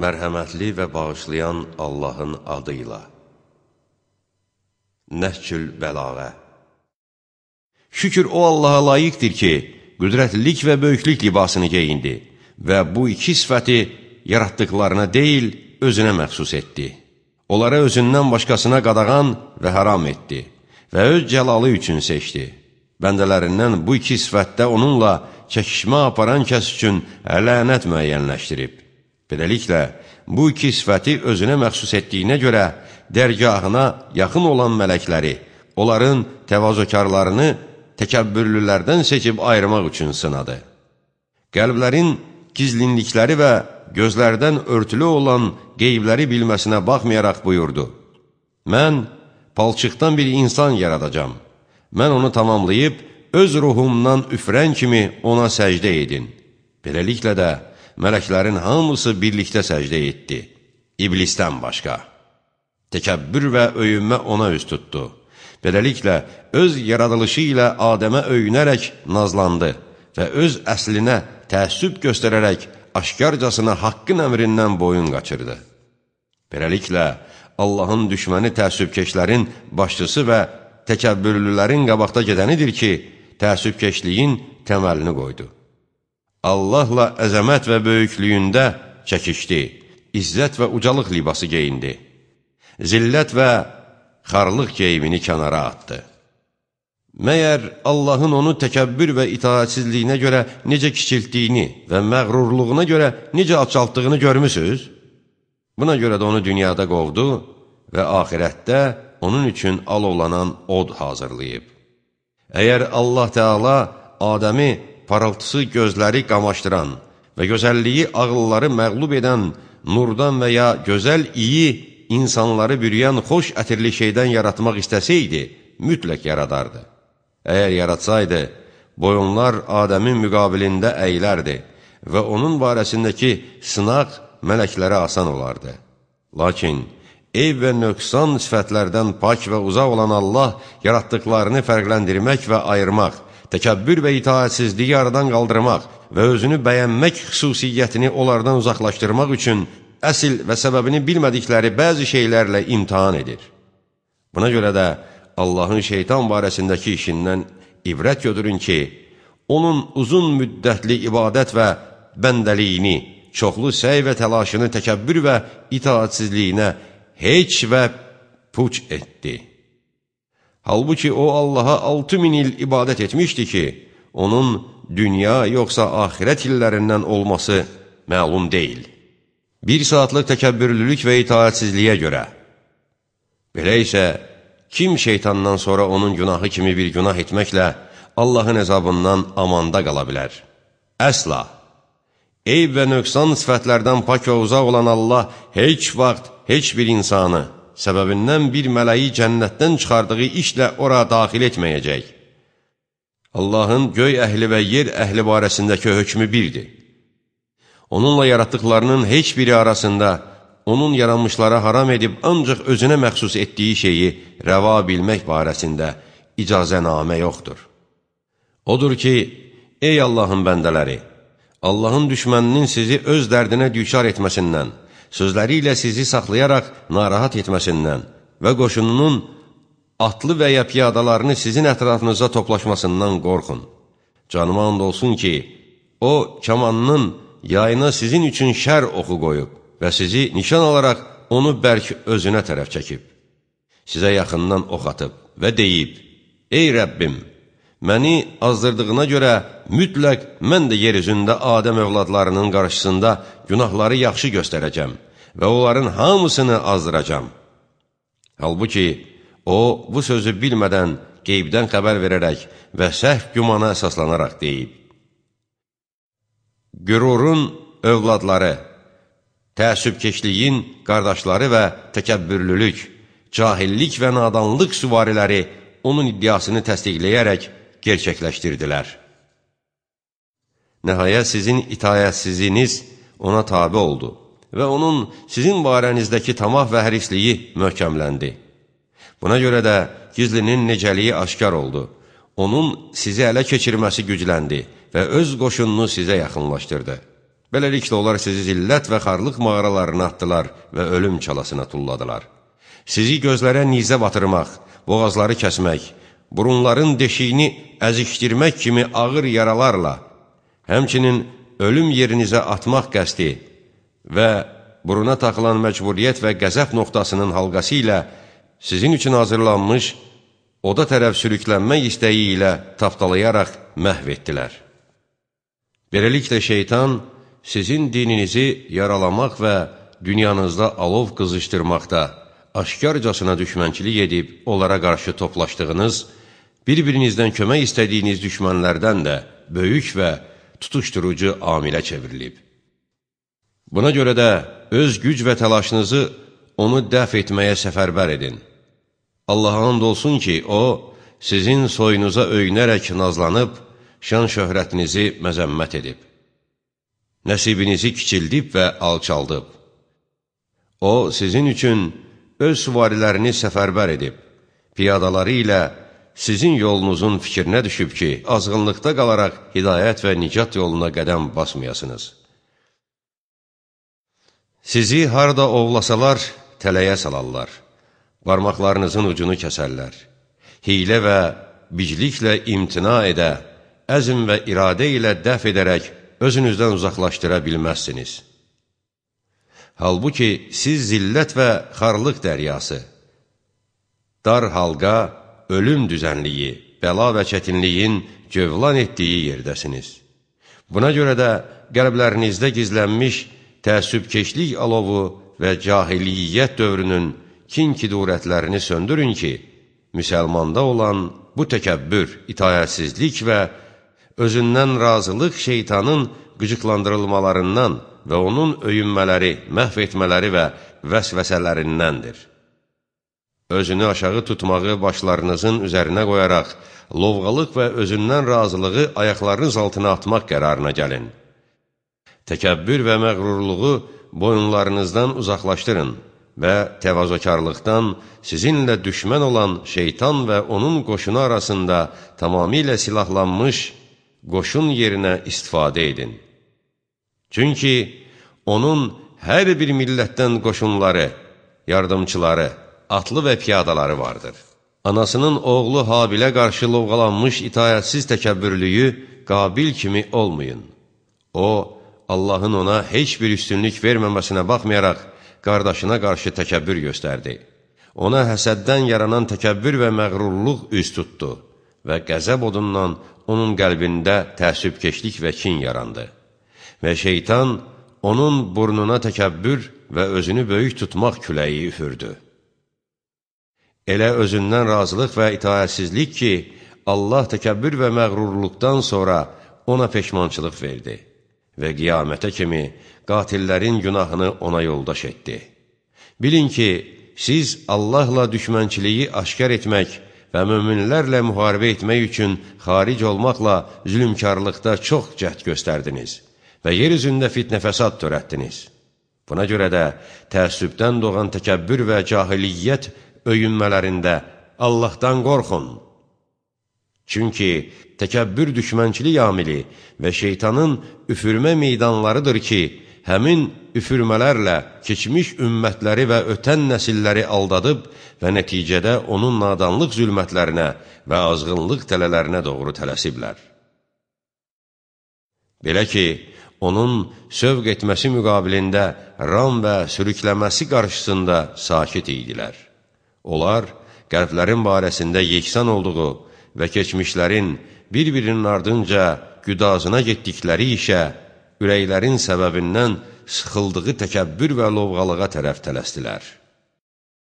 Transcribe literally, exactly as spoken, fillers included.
Mərhəmətli və bağışlayan Allahın adıyla. Nəhcül Bəlağə. Şükür o Allaha layiqdir ki, qüdrətlilik və böyüklük libasını geyindi və bu iki sifəti yaratdıqlarına deyil, özünə məxsus etdi. Onlara özündən başqasına qadağan və haram etdi və öz cəlalı üçün seçdi. Bəndələrindən bu iki sifətdə onunla çəkişmə aparan kəs üçün lənət müəyyənləşdirib. Beləliklə, bu iki sifəti özünə məxsus etdiyinə görə dərgahına yaxın olan mələkləri, onların təvazökarlarını təkəbbürlülərdən seçib ayırmaq üçün sınadı. Qəlblərin gizlinlikləri və gözlərdən örtülü olan qeybləri bilməsinə baxmayaraq buyurdu: Mən palçıqdan bir insan yaradacam. Mən onu tamamlayıb, öz ruhumdan üfrən kimi ona səcdə edin. Beləliklə də, mələklərin hamısı birlikdə səcdə etdi, iblisdən başqa. Təkəbbür və öyünmə ona üz tutdu. Beləliklə, öz yaradılışı ilə Adəmə öyünərək nazlandı və öz əslinə təəssüb göstərərək aşkarcasına haqqın əmrindən boyun qaçırdı. Beləliklə, Allahın düşməni təəssübkeşlərin başçısı və təkəbbürlülərin qabaqda gedənidir ki, təəssübkeşliyin təməlini qoydu. Allahla əzəmət və böyüklüyündə çəkişdi, izzət və ucalıq libası geyindi, zillət və xarlıq geyimini kənara atdı. Məyər Allahın onu təkəbbür və itaatsizliyinə görə necə kiçiltdiyini və məğrurluğuna görə necə alçaltdığını görmüsünüz? Buna görə də onu dünyada qovdu və axirətdə onun üçün alovlanan od hazırlayıb. Əgər Allah Teala Adəmi parıltısı gözləri qamaşdıran və gözəlliyi ağılları məğlub edən nurdan və ya gözəl iyi insanları bürüyən xoş ətirli şeydən yaratmaq istəsəydi, mütləq yaradardı. Əgər yaratsaydı, boyunlar Adəmin müqabilində əylərdi və onun barəsindəki sınaq mələklərə asan olardı. Lakin, eyb və nöqsan sifətlərdən pak və uzaq olan Allah yaratdıqlarını fərqləndirmək və ayırmaq, təkəbbür və itaatsizliyi aradan qaldırmaq və özünü bəyənmək xüsusiyyətini onlardan uzaqlaşdırmaq üçün əsl və səbəbini bilmədikləri bəzi şeylərlə imtihan edir. Buna görə də Allahın şeytan barəsindəki işindən ibrət götürün ki, onun uzun müddətli ibadət və bəndəliyini, çoxlu səy və təlaşını təkəbbür və itaatsizliyinə heç və puç etdi. Halbuki o Allaha altı min il ibadət etmişdi ki, onun dünya yoxsa axirət illərindən olması məlum deyil. Bir saatlıq təkəbbürlülük və itaatsizliyə görə. Belə isə, kim şeytandan sonra onun günahı kimi bir günah etməklə Allahın əzabından amanda qala bilər? Əsla! Eyb və nöqsan sifətlərdən pak və uzaq olan Allah heç vaxt heç bir insanı, səbəbindən bir mələyi cənnətdən çıxardığı işlə ora daxil etməyəcək. Allahın göy əhli və yer əhli barəsindəki hökmü birdir. Onunla yaratdıqlarının heç biri arasında onun yaranmışlara haram edib ancaq özünə məxsus etdiyi şeyi rəva bilmək barəsində icazənamə yoxdur. Odur ki, ey Allahın bəndələri, Allahın düşməninin sizi öz dərdinə düçar etməsindən, sözləri ilə sizi saxlayaraq narahat etməsindən və qoşununun atlı və ya piyadalarını sizin ətrafınıza toplaşmasından qorxun. Canıma and olsun ki, o, kamanının yayına sizin üçün şər oxu qoyub və sizi nişan alaraq onu bərk özünə tərəf çəkib. Sizə yaxından ox atıb və deyib: Ey Rəbbim, məni azdırdığına görə mütləq mən də yer üzündə Adəm övladlarının qarşısında günahları yaxşı göstərəcəm və onların hamısını azdıracam. Halbuki, o, bu sözü bilmədən, qeybdən xəbər verərək və səhv gümana əsaslanaraq deyib: Qürurun övladları, təəssübkeşliyin qardaşları və təkəbbürlülük, cahillik və nadanlıq süvariləri onun iddiasını təsdiqləyərək gerçəkləşdirdilər. Nəhayət sizin itayətsiziniz ona tabi oldu və onun sizin barənizdəki tamah və hərisliyi möhkəmləndi. Buna görə də gizlinin necəliyi aşkar oldu. Onun sizi ələ keçirməsi gücləndi və öz qoşununu sizə yaxınlaşdırdı. Beləliklə, onlar sizi zillət və xarlıq mağaralarına atdılar və ölüm çalasına tulladılar. Sizi gözlərə nizə batırmaq, boğazları kəsmək, burunların deşiyini əzişdirmək kimi ağır yaralarla, həmçinin ölüm yerinizə atmaq qəsdi və buruna taxılan məcburiyyət və qəzəb nöqtasının halqası ilə sizin üçün hazırlanmış oda tərəf sürüklənmək istəyi ilə tapdalayaraq məhv etdilər. Beləliklə, şeytan sizin dininizi yaralamaq və dünyanızda alov qızışdırmaqda aşkarcasına düşmənçilik edib onlara qarşı toplaşdığınız, bir-birinizdən kömək istədiyiniz düşmənlərdən də böyük və tutuşdurucu amilə çevrilib. Buna görə də öz güc və təlaşınızı onu dəf etməyə səfərbər edin. Allaha and olsun ki, O, sizin soyunuza öyünərək nazlanıb, şan şöhrətinizi məzəmmət edib. Nəsibinizi kiçildib və alçaldıb. O, sizin üçün öz süvarilərini səfərbər edib, piyadaları ilə sizin yolunuzun fikrinə düşüb ki, azğınlıqda qalaraq hidayət və nicat yoluna qədəm basmayasınız. Sizi harada ovlasalar, tələyə salarlar, barmaqlarınızın ucunu kəsərlər, hilə və bicliklə imtina edə, əzm və iradə ilə dəf edərək özünüzdən uzaqlaşdıra bilməzsiniz. Halbuki siz zillət və xarlıq dəryası, dar halqa, ölüm düzənliyi, bəla və çətinliyin cövlan etdiyi yerdəsiniz. Buna görə də qəlblərinizdə gizlənmiş təəssübkeşlik alovu və cahiliyyət dövrünün kin-kidurətlərini söndürün ki, müsəlmanda olan bu təkəbbür, itayətsizlik və özündən razılıq şeytanın qıcıqlandırılmalarından və onun öyünmələri, məhv etmələri və vəsvəsələrindəndir. Özünü aşağı tutmağı başlarınızın üzərinə qoyaraq, lovğalıq və özündən razılığı ayaqlarınız altına atmaq qərarına gəlin. Təkəbbür və məğrurluğu boyunlarınızdan uzaqlaşdırın və təvazökarlıqdan sizinlə düşmən olan şeytan və onun qoşunu arasında tamamilə silahlanmış qoşun yerinə istifadə edin. Çünki onun hər bir millətdən qoşunları, yardımçıları, atlı və piyadaları vardır. Anasının oğlu Habilə qarşı lovğalanmış itayətsiz təkəbbürlüyü Qabil kimi olmayın. O, Allahın ona heç bir üstünlük verməməsinə baxmayaraq, qardaşına qarşı təkəbbür göstərdi. Ona həsəddən yaranan təkəbbür və məğrurluq üz tutdu və qəzəb odundan onun qəlbində təəssübkeşlik və kin yarandı. Və şeytan onun burnuna təkəbbür və özünü böyük tutmaq küləyi üfürdü. Elə özündən razılıq və itayətsizlik ki, Allah təkəbbür və məğrurluqdan sonra ona peşmançılıq verdi və qiyamətə kimi qatillərin günahını ona yoldaş etdi. Bilin ki, siz Allahla düşmənçiliyi aşkar etmək və möminlərlə müharibə etmək üçün xaric olmaqla zülümkarlıqda çox cəhd göstərdiniz və yer üzündə fitnə fəsad törətdiniz. Buna görə də təəssübdən doğan təkəbbür və cahiliyyət öyünmələrində Allahdan qorxun. Çünki təkəbbür düşmənçilik amili və şeytanın üfürmə meydanlarıdır ki, həmin üfürmələrlə keçmiş ümmətləri və ötən nəsilləri aldadıb və nəticədə onun nadanlıq zülmətlərinə və azğınlıq tələlərinə doğru tələsiblər. Belə ki, onun sövq etməsi müqabilində ram və sürükləməsi qarşısında sakit idilər. Onlar, qəlblərin barəsində yeksan olduğu və keçmişlərin bir-birinin ardınca güdazına getdikləri işə, ürəklərin səbəbindən sıxıldığı təkəbbür və lovğalığa tərəf tələsdilər.